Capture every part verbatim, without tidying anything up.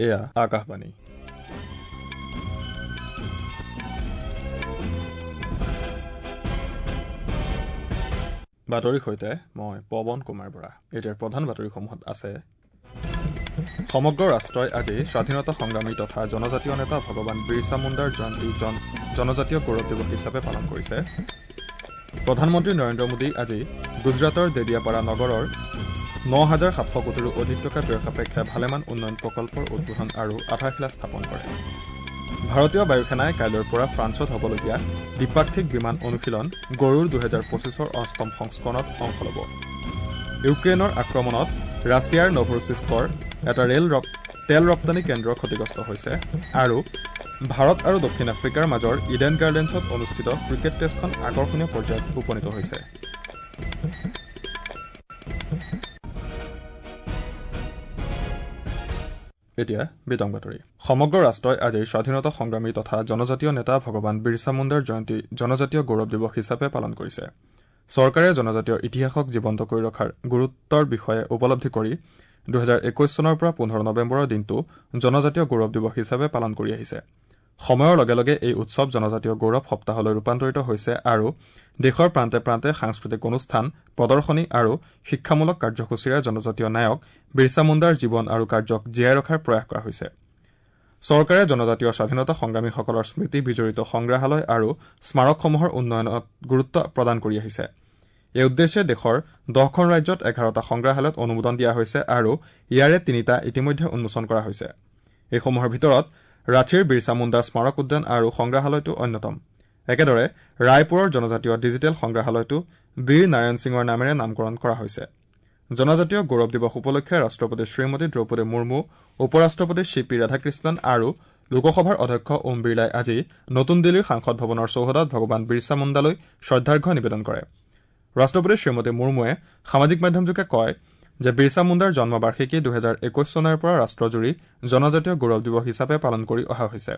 এয়া আকাশবাণী। বাতৰিৰ সৈতে মই পৱন কুমাৰ বৰা। এতিয়াৰ প্ৰধান বাতৰিসমূহত আছে: সমগ্ৰ ৰাষ্ট্ৰই আজি স্বাধীনতা সংগ্ৰামী তথা জনজাতীয় নেতা ভগৱান বিৰছা মুণ্ডাৰ জয়ন্তী জনজাতীয় গৌৰৱ দিৱস হিচাপে পালন কৰিছে। প্ৰধানমন্ত্ৰী নৰেন্দ্ৰ মোদী আজি গুজৰাটৰ দেদিয়াপাৰা নগৰৰ ন হাজাৰ সাতশ কোটিৰো অধিক টকা ব্যয় সাপেক্ষে ভালেমান উন্নয়ন প্ৰকল্পৰ উদ্বোধন আৰু আধাৰশিলা স্থাপন কৰে। ভাৰতীয় বায়ুসেনাই কাইলৈৰ পৰা ফ্ৰান্সত হ'বলগীয়া দ্বিপাক্ষিক বিমান অনুশীলন গৰুড় দুহেজাৰ পঁচিছৰ অষ্টম সংস্কৰণত অংশ ল'ব। ইউক্ৰেইনৰ আক্ৰমণত ৰাছিয়াৰ নভোৰছিস্কৰ এটা ৰেল তেল ৰপ্তানি কেন্দ্ৰ ক্ষতিগ্ৰস্ত হৈছে। আৰু ভাৰত আৰু দক্ষিণ আফ্ৰিকাৰ মাজৰ ইডেন গাৰ্ডেন্সত অনুষ্ঠিত ক্ৰিকেট টেষ্টখন আকৰ্ষণীয় পৰ্যায়ত উপনীত হৈছে। এতিয়া বিতং বাতৰি। সমগ্ৰ ৰাষ্ট্ৰই আজি স্বাধীনতা সংগ্ৰামী তথা জনজাতীয় নেতা ভগৱান বিৰছা মুণ্ডাৰ জয়ন্তী জনজাতীয় গৌৰৱ দিৱস হিচাপে পালন কৰিছে। চৰকাৰে জনজাতীয় ইতিহাসক জীৱন্ত কৰি ৰখাৰ গুৰুত্বৰ বিষয়ে উপলব্ধি কৰি দুহেজাৰ একৈশ চনৰ পৰা পোন্ধৰ নৱেম্বৰৰ দিনটো জনজাতীয় গৌৰৱ দিৱস হিচাপে পালন কৰি আহিছে। সময়ৰ লগে লগে এই উৎসৱ জনজাতীয় গৌৰৱ সপ্তাহলৈ ৰূপান্তৰিত হৈছে আৰু দেশৰ প্ৰান্তে প্ৰান্তে সাংস্কৃতিক অনুষ্ঠান, প্ৰদৰ্শনী আৰু শিক্ষামূলক কাৰ্যসূচীৰে জনজাতীয় নায়ক বিৰছা মুণ্ডাৰ জীৱন আৰু কাৰ্যক জীয়াই ৰখাৰ প্ৰয়াস কৰা হৈছে। চৰকাৰে জনজাতীয় স্বাধীনতা সংগ্ৰামীসকলৰ স্মৃতি বিজড়িত সংগ্ৰহালয় আৰু স্মাৰকসমূহৰ উন্নয়নত গুৰুত্ব প্ৰদান কৰি আহিছে। এই উদ্দেশ্যে দেশৰ দহখন ৰাজ্যত এঘাৰটা সংগ্ৰহালয়ত অনুমোদন দিয়া হৈছে আৰু ইয়াৰে তিনিটা ইতিমধ্যে উন্মোচন কৰা হৈছে। এইসমূহৰ ভিতৰত ৰাঁচীৰ বিৰছা মুণ্ডা স্মাৰক উদ্যান আৰু সংগ্ৰহালয়টো অন্যতম। একেদৰে ৰায়পুৰৰ জনজাতীয় ডিজিটেল সংগ্ৰহালয়টো বীৰ নাৰায়ণ সিঙৰ নামেৰে নামকৰণ কৰা হৈছে। জনজাতীয় গৌৰৱ দিৱস উপলক্ষে ৰাষ্ট্ৰপতি শ্ৰীমতী দ্ৰৌপদী মুৰ্মু, উপ ৰাষ্ট্ৰপতি চি পি ৰাধাকৃষ্ণন আৰু লোকসভাৰ অধ্যক্ষ ওম বিৰলাই আজি নতুন দিল্লীৰ সাংসদ ভৱনৰ চৌহদত ভগৱান বিৰছা মুণ্ডালৈ শ্ৰদ্ধাৰ্ঘ্য নিবেদন কৰে। ৰাষ্ট্ৰপতি শ্ৰীমতী মুৰ্মুৱে সামাজিক মাধ্যমযোগে কয় যে বিৰছা মুণ্ডাৰ জন্মবাৰ্ষিকী দুহেজাৰ একৈশ চনৰ পৰা ৰাষ্ট্ৰজুৰি জনজাতীয় গৌৰৱ দিৱস হিচাপে পালন কৰি অহা হৈছে।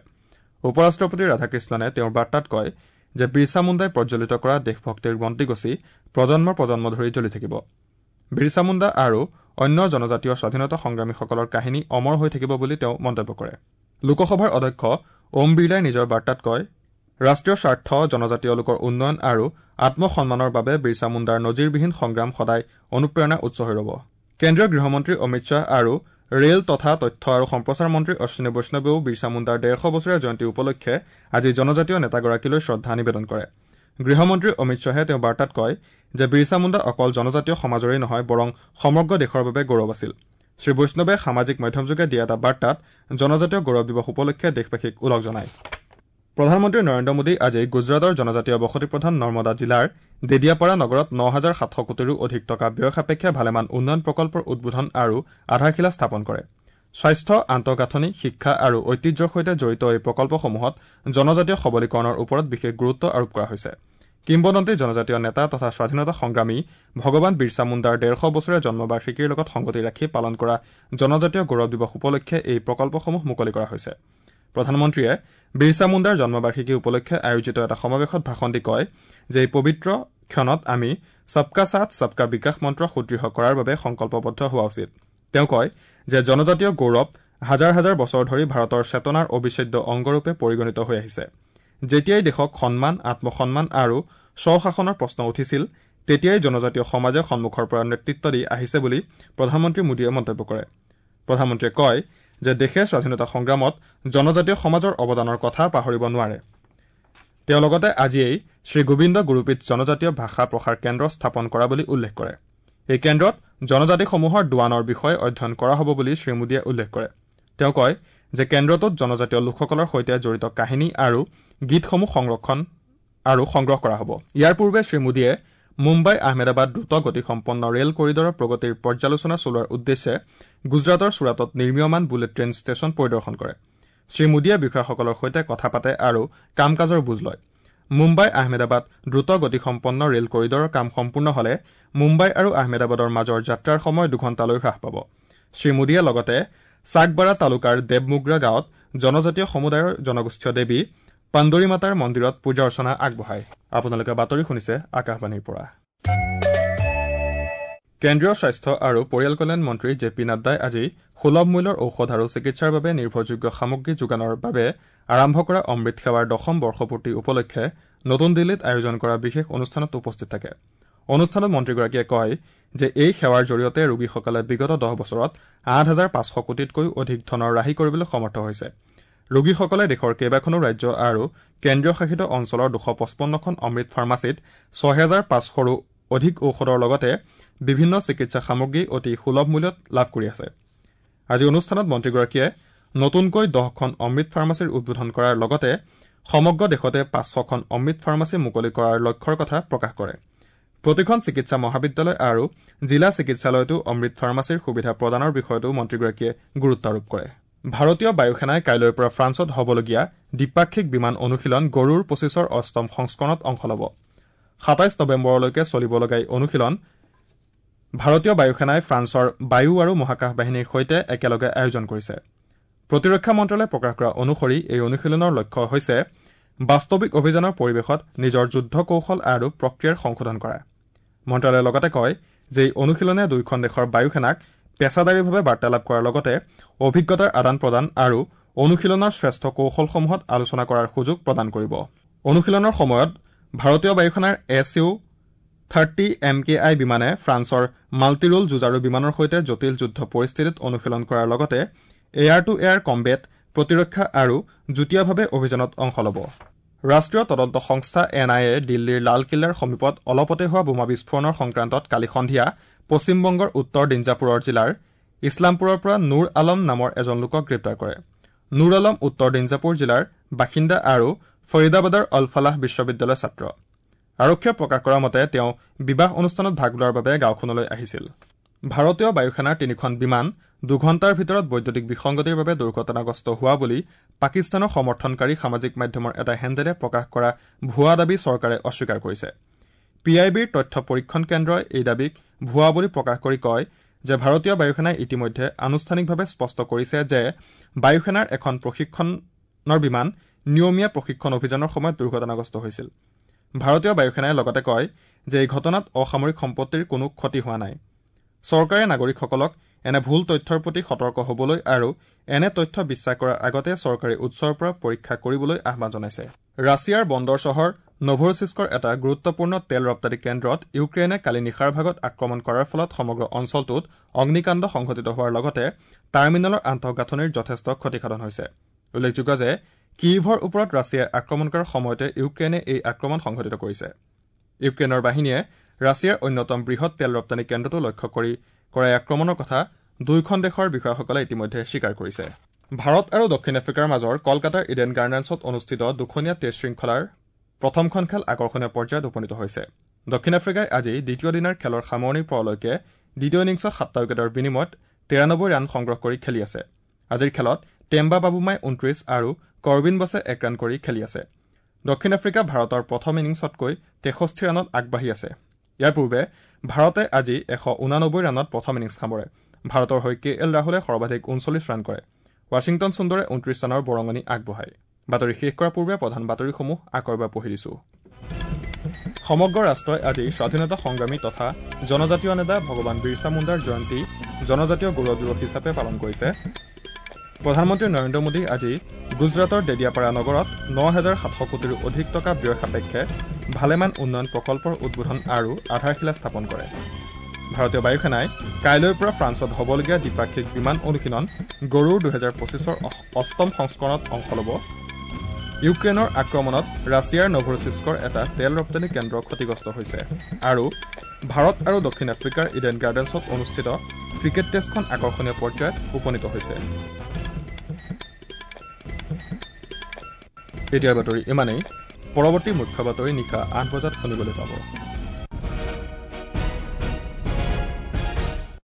উপ ৰাষ্ট্ৰপতি ৰাধাকৃষ্ণনে তেওঁৰ বাৰ্তাত কয় যে বিৰছা মুণ্ডাই প্ৰজ্বলিত কৰা দেশভক্তিৰ বন্তিগছি প্ৰজন্ম প্ৰজন্ম ধৰি জ্বলি থাকিব। বিৰছা মুণ্ডা আৰু অন্য জনজাতীয় স্বাধীনতা সংগ্ৰামীসকলৰ কাহিনী অমৰ হৈ থাকিব বুলি তেওঁ মন্তব্য কৰে। লোকসভাৰ অধ্যক্ষ ওম বিৰলাই নিজৰ বাৰ্তাত কয়, ৰাষ্ট্ৰীয় স্বাৰ্থ, জনজাতীয় লোকৰ উন্নয়ন আৰু আত্মসন্মানৰ বাবে বিৰছা মুণ্ডাৰ নজিৰবিহীন সংগ্ৰাম সদায় অনুপ্ৰেৰণাৰ উৎস হৈ ৰ'ব। কেন্দ্ৰীয় গৃহমন্ত্ৰী অমিত শ্বাহ আৰু ৰেল তথা তথ্য আৰু সম্প্ৰচাৰ মন্ত্ৰী অশ্বিনী বৈষ্ণৱেও বিৰছা মুণ্ডাৰ ডেৰশ বছৰীয়া জয়ন্তী উপলক্ষে আজি জনজাতীয় নেতাগৰাকীলৈ শ্ৰদ্ধা নিবেদন কৰে। গৃহমন্ত্ৰী অমিত শ্বাহে তেওঁৰ বাৰ্তাত কয় যে বিৰছা মুণ্ডা অকল জনজাতীয় সমাজৰেই নহয় বৰং সমগ্ৰ দেশৰ বাবে গৌৰৱ আছিল। শ্ৰীবৈষ্ণৱে সামাজিক মাধ্যমযোগে দিয়া এটা বাৰ্তাত জনজাতীয় গৌৰৱ দিৱস উপলক্ষে দেশবাসীক ওলগ জনায়। প্ৰধানমন্ত্ৰী নৰেন্দ্ৰ মোদী আজি গুজৰাটৰ জনজাতীয় বসতিপ্ৰধান নৰ্মদা জিলাৰ দেদিয়াপাৰা নগৰত ন হাজাৰ সাতশ কোটিৰো অধিক টকা ব্যয় সাপেক্ষে ভালেমান উন্নয়ন প্ৰকল্পৰ উদ্বোধন আৰু আধাৰশিলা স্থাপন কৰে। স্বাস্থ্য, আন্তঃগাঁথনি, শিক্ষা আৰু ঐতিহ্যৰ সৈতে জড়িত এই প্ৰকল্পসমূহত জনজাতীয় সবলীকৰণৰ ওপৰত বিশেষ গুৰুত্ব আৰোপ কৰা হৈছে। কিম্বদন্তী জনজাতীয় নেতা তথা স্বাধীনতা সংগ্ৰামী ভগৱান বিৰছা মুণ্ডাৰ ডেৰশ বছৰীয়া জন্মবাৰ্ষিকীৰ লগত সংগতি ৰাখি পালন কৰা জনজাতীয় গৌৰৱ দিৱস উপলক্ষে এই প্ৰকল্পসমূহ মুকলি কৰা হৈছে। প্ৰধানমন্ত্ৰীয়ে বিৰছা মুণ্ডাৰ জন্মবাৰ্ষিকী উপলক্ষে আয়োজিত এটা সমাৱেশত ভাষণ দি কয় যে এই পবিত্ৰ ক্ষণত আমি সবকা সাথ সবকা বিকাশ মন্ত্ৰ সুদৃঢ় কৰাৰ বাবে সংকল্পবদ্ধ হোৱা উচিত। তেওঁ কয় যে জনজাতীয় গৌৰৱ হাজাৰ হাজাৰ বছৰ ধৰি ভাৰতৰ চেতনাৰ অবিচ্ছেদ্য অংগৰূপে পৰিগণিত হৈ আহিছে। যেতিয়াই দেশক সন্মান, আত্মসন্মান আৰু স্বশাসনৰ প্ৰশ্ন উঠিছিল তেতিয়াই জনজাতীয় সমাজে সন্মুখৰ পৰা নেতৃত্ব দি আহিছে বুলি প্ৰধানমন্ত্ৰী মোদীয়ে মন্তব্য কৰে। প্ৰধানমন্ত্ৰীয়ে কয় যে দেশে স্বাধীনতা সংগ্ৰামত জনজাতীয় সমাজৰ অৱদানৰ কথা পাহৰিব নোৱাৰে। তেওঁ লগতে আজিয়েই শ্ৰীগোবিন্দ গুৰুপীঠ জনজাতীয় ভাষা প্ৰসাৰ কেন্দ্ৰ স্থাপন কৰা বুলি উল্লেখ কৰে। এই কেন্দ্ৰত জনজাতিসমূহৰ দোৱানৰ বিষয়ে অধ্যয়ন কৰা হ'ব বুলি শ্ৰীমোদীয়ে উল্লেখ কৰে। তেওঁ কয় যে কেন্দ্ৰটোত জনজাতীয় লোকসকলৰ সৈতে জড়িত কাহিনী আৰু গীতসমূহ সংৰক্ষণ আৰু সংগ্ৰহ কৰা হ'ব। ইয়াৰ পূৰ্বে শ্ৰীমোদীয়ে মুম্বাই আহমেদাবাদ দ্ৰুত গতিসম্পন্ন ৰেল কৰিডৰৰ প্ৰগতিৰ পৰ্যালোচনা চলোৱাৰ উদ্দেশ্যে গুজৰাটৰ চুৰাটত নিৰ্মীয়মান বুলেট ট্ৰেইন ষ্টেচন পৰিদৰ্শন কৰে। শ্ৰীমোদীয়ে বিষয়াসকলৰ সৈতে কথা পাতে আৰু কাম কাজৰ বুজ লয়। মুম্বাই আহমেদাবাদ দ্ৰুত গতিসম্পন্ন ৰেল কৰিডৰৰ কাম সম্পূৰ্ণ হলে মুম্বাই আৰু আহমেদাবাদৰ মাজৰ যাত্ৰাৰ সময় দুঘণ্টালৈ হ্ৰাস পাব। শ্ৰীমোদীয়ে লগতে চাকবাৰা তালুকাৰ দেৱমুগ্ৰা গাঁৱত জনজাতীয় সমুদায়ৰ জনগোষ্ঠীয় দেৱী পাণ্ডৰী মাতাৰ মন্দিৰত পূজা অৰ্চনা আগবঢ়ায়। আপোনালোকে বাতৰি শুনিছে আকাশবাণীৰ পৰা। কেন্দ্ৰীয় স্বাস্থ্য আৰু পৰিয়াল কল্যাণ মন্ত্ৰী জে পি নাড্ডাই আজি সুলভ মূল্যৰ ঔষধ আৰু চিকিৎসাৰ বাবে নিৰ্ভৰযোগ্য সামগ্ৰী যোগানৰ বাবে আৰম্ভ কৰা অমৃত সেৱাৰ দশম বৰ্ষপূৰ্তি উপলক্ষে নতুন দিল্লীত আয়োজন কৰা বিশেষ অনুষ্ঠানত উপস্থিত থাকে। অনুষ্ঠানত মন্ত্ৰীগৰাকীয়ে কয় যে এই সেৱাৰ জৰিয়তে ৰোগীসকলে বিগত দহ বছৰত আঠ হাজাৰ পাঁচশ কোটিতকৈও অধিক ধনৰ ৰাহি কৰিবলৈ সমৰ্থ হৈছে। ৰোগীসকলে দেশৰ কেইবাখনো ৰাজ্য আৰু কেন্দ্ৰীয় শাসিত অঞ্চলৰ দুশ পঁচপন্নখন অমৃত ফাৰ্মাচীত ছহেজাৰ পাঁচশৰো অধিক ঔষধৰ লগতে বিভিন্ন চিকিৎসা সামগ্ৰী অতি সুলভ মূল্যত লাভ কৰি আছে। আজি অনুষ্ঠানত মন্ত্ৰীগৰাকীয়ে নতুনকৈ দহখন অমৃত ফাৰ্মাচীৰ উদ্বোধন কৰাৰ লগতে সমগ্ৰ দেশতে পাঁচশখন অমৃত ফাৰ্মাচী মুকলি কৰাৰ লক্ষ্যৰ কথা প্ৰকাশ কৰে। প্ৰতিখন চিকিৎসা মহাবিদ্যালয় আৰু জিলা চিকিৎসালয়তো অমৃত ফাৰ্মাচীৰ সুবিধা প্ৰদানৰ বিষয়টো মন্ত্ৰীগৰাকীয়ে গুৰুত্ব আৰোপ কৰে। ভাৰতীয় বায়ুসেনাই কাইলৈৰ পৰা ফ্ৰান্সত হ'বলগীয়া দ্বিপাক্ষিক বিমান অনুশীলন গৰুড় পঁচিছৰ অষ্টম সংস্কৰণত অংশ ল'ব। সাতাইছ নৱেম্বৰলৈকে চলিব লগা এই অনুশীলন ভাৰতীয় বায়ুসেনাই ফ্ৰান্সৰ বায়ু আৰু মহাকাশ বাহিনীৰ সৈতে একেলগে আয়োজন কৰিছে। প্ৰতিৰক্ষা মন্ত্ৰালয়ে প্ৰকাশ কৰা অনুসৰি এই অনুশীলনৰ লক্ষ্য হৈছে বাস্তৱিক অভিযানৰ পৰিৱেশত নিজৰ যুদ্ধ কৌশল আৰু প্ৰক্ৰিয়াৰ সংশোধন কৰা। মন্ত্ৰালয়ে লগতে কয় যে এই অনুশীলনে দুয়োখন দেশৰ বায়ুসেনাক পেছাদাৰীভাৱে বাৰ্তালাপ কৰাৰ লগতে অভিজ্ঞতাৰ আদান প্ৰদান আৰু অনুশীলনৰ শ্ৰেষ্ঠ কৌশলসমূহত আলোচনা কৰাৰ সুযোগ প্ৰদান কৰিব। অনুশীলনৰ সময়ত ভাৰতীয় বায়ুসেনাৰ S U thirty M K I বিমানে ফ্ৰান্সৰ মাল্টিৰোল যুঁজাৰু বিমানৰ সৈতে জটিল যুদ্ধ পৰিস্থিতিত অনুশীলন কৰাৰ লগতে এয়াৰ টু এয়াৰ কম্বেট, প্ৰতিৰক্ষা আৰু যুটীয়াভাৱে অভিযানত অংশ ল'ব। ৰাষ্ট্ৰীয় তদন্ত সংস্থা এন I A দিল্লীৰ লালকিল্লাৰ সমীপত অলপতে হোৱা বোমা বিস্ফোৰণৰ সংক্ৰান্তত কালি সন্ধিয়া পশ্চিমবংগৰ উত্তৰ দিঞ্জাপুৰৰ জিলাৰ ইছলামপুৰৰ পৰা নুৰ আলম নামৰ এজন লোকক গ্ৰেপ্তাৰ কৰে। নুৰ আলম উত্তৰ দিঞ্জাপুৰ জিলাৰ বাসিন্দা আৰু ফৰিদাবাদৰ অলফালাহ বিশ্ববিদ্যালয়ৰ ছাত্ৰ। আৰক্ষীয়ে প্ৰকাশ কৰা মতে তেওঁ বিবাহ অনুষ্ঠানত ভাগ লোৱাৰ বাবে গাঁওখনলৈ আহিছিল। ভাৰতীয় বায়ুসেনাৰ তিনিখন বিমান দুঘণ্টাৰ ভিতৰত বৈদ্যুতিক বিসংগতিৰ বাবে দুৰ্ঘটনাগ্ৰস্ত হোৱা বুলি পাকিস্তানৰ সমৰ্থনকাৰী সামাজিক মাধ্যমৰ এটা হেণ্ডেলে প্ৰকাশ কৰা ভুৱা দাবী চৰকাৰে অস্বীকাৰ কৰিছে। পি আই বিৰ তথ্য পৰীক্ষণ কেন্দ্ৰই এই দাবীক ভুৱা বুলি প্ৰকাশ কৰি কয় যে ভাৰতীয় বায়ুসেনাই ইতিমধ্যে আনুষ্ঠানিকভাৱে স্পষ্ট কৰিছে যে বায়ুসেনাৰ এখন প্ৰশিক্ষণৰ বিমান নিয়মীয়া প্ৰশিক্ষণ অভিযানৰ সময়ত দুৰ্ঘটনাগ্ৰস্ত হৈছিল। ভাৰতীয় বায়ুসেনাই লগতে কয় যে এই ঘটনাত অসামৰিক সম্পত্তিৰ কোনো ক্ষতি হোৱা নাই। চৰকাৰে নাগৰিকসকলক এনে ভুল তথ্যৰ প্ৰতি সতৰ্ক হ'বলৈ আৰু এনে তথ্য বিশ্বাস কৰাৰ আগতে চৰকাৰী উৎসৰ পৰা পৰীক্ষা কৰিবলৈ আহ্বান জনাইছে। ৰাছিয়াৰ বন্দৰ চহৰ নভৰচিস্কৰ এটা গুৰুত্বপূৰ্ণ তেল ৰপ্তানি কেন্দ্ৰত ইউক্ৰেইনে কালি নিশাৰ ভাগত আক্ৰমণ কৰাৰ ফলত সমগ্ৰ অঞ্চলটোত অগ্নিকাণ্ড সংঘটিত হোৱাৰ লগতে টাৰ্মিনেলৰ আন্তঃগাঁথনিৰ যথেষ্ট ক্ষতিসাধন হৈছে। উল্লেখযোগ্য যে কিইভৰ ওপৰত ৰাছিয়াই আক্ৰমণ কৰাৰ সময়তে ইউক্ৰেইনে এই আক্ৰমণ সংঘটিত কৰিছে। ইউক্ৰেইনৰ বাহিনীয়ে ৰাছিয়াৰ অন্যতম বৃহৎ তেল ৰপ্তানি কেন্দ্ৰটো লক্ষ্য কৰি কৰা আক্ৰমণৰ কথা দুয়োখন দেশৰ বিষয়াসকলে ইতিমধ্যে স্বীকাৰ কৰিছে। ভাৰত আৰু দক্ষিণ আফ্ৰিকাৰ মাজৰ কলকাতাৰ ইডেন গাৰ্ডেন্সত অনুষ্ঠিত দুখনীয়া টেষ্ট শৃংখলাৰ প্ৰথমখন খেল আকৰ্ষণীয় পৰ্যায়ত উপনীত হৈছে। দক্ষিণ আফ্ৰিকাই আজি দ্বিতীয় দিনাৰ খেলৰ সামৰণি পৰালৈকে দ্বিতীয় ইনিংছত সাতটা উইকেটৰ বিনিময়ত তিৰানব্বৈ ৰান সংগ্ৰহ কৰি খেলি আছে। আজিৰ খেলত টেম্বা বাবুমাই ঊনত্ৰিশ আৰু কৰ্বিন বছে এক ৰান কৰি খেলি আছে। দক্ষিণ আফ্ৰিকা ভাৰতৰ প্ৰথম ইনিংছতকৈ তেষষ্ঠি ৰানত আগবাঢ়ি আছে। ইয়াৰ পূৰ্বে ভাৰতে আজি এশ ঊনানব্বৈ ৰানত প্ৰথম ইনিংছ সামৰে। ভাৰতৰ হৈ কে এল ৰাহুলে সৰ্বাধিক ঊনচল্লিছ ৰান কৰে। ৱাশ্বিংটন সুন্দৰে ঊনত্ৰিশ ৰানৰ বৰঙণি আগবঢ়ায়। বাতৰি শেষ কৰাৰ পূৰ্বে প্ৰধান বাতৰিসমূহ আকৌ এবাৰ পঢ়ি দিছো। সমগ্ৰ ৰাষ্ট্ৰই আজি স্বাধীনতা সংগ্ৰামী তথা জনজাতীয় নেতা ভগৱান বিৰছা মুণ্ডাৰ জয়ন্তী জনজাতীয় গৌৰৱ দিৱস হিচাপে পালন কৰিছে। প্ৰধানমন্ত্ৰী নৰেন্দ্ৰ মোদী আজি গুজৰাটৰ ডেডিয়াপাৰা নগৰত ন হাজাৰ সাতশ কোটিৰো অধিক টকা ব্যয় সাপেক্ষে ভালেমান উন্নয়ন প্ৰকল্পৰ উদ্বোধন আৰু আধাৰশিলা স্থাপন কৰে। ভাৰতীয় বায়ুসেনাই কাইলৈৰ পৰা ফ্ৰান্সত হ'বলগীয়া দ্বিপাক্ষিক বিমান অনুশীলন গৰুড় দুহেজাৰ পঁচিছৰ অষ্টম সংস্কৰণত অংশ ল'ব। ইউক্ৰেইনৰ আক্ৰমণত ৰাছিয়াৰ নভৰচিস্কৰ এটা তেল ৰপ্তানি কেন্দ্ৰ ক্ষতিগ্ৰস্ত হৈছে। আৰু ভাৰত আৰু দক্ষিণ আফ্ৰিকাৰ ইডেন গাৰ্ডেন্সত অনুষ্ঠিত ক্ৰিকেট টেষ্টখন আকৰ্ষণীয় পৰ্যায়ত উপনীত হৈছে। এতিয়াৰ বাতৰি ইমানেই। পৰৱৰ্তী মুখ্য বাতৰি নিশা আঠ বজাত শুনিবলৈ পাব।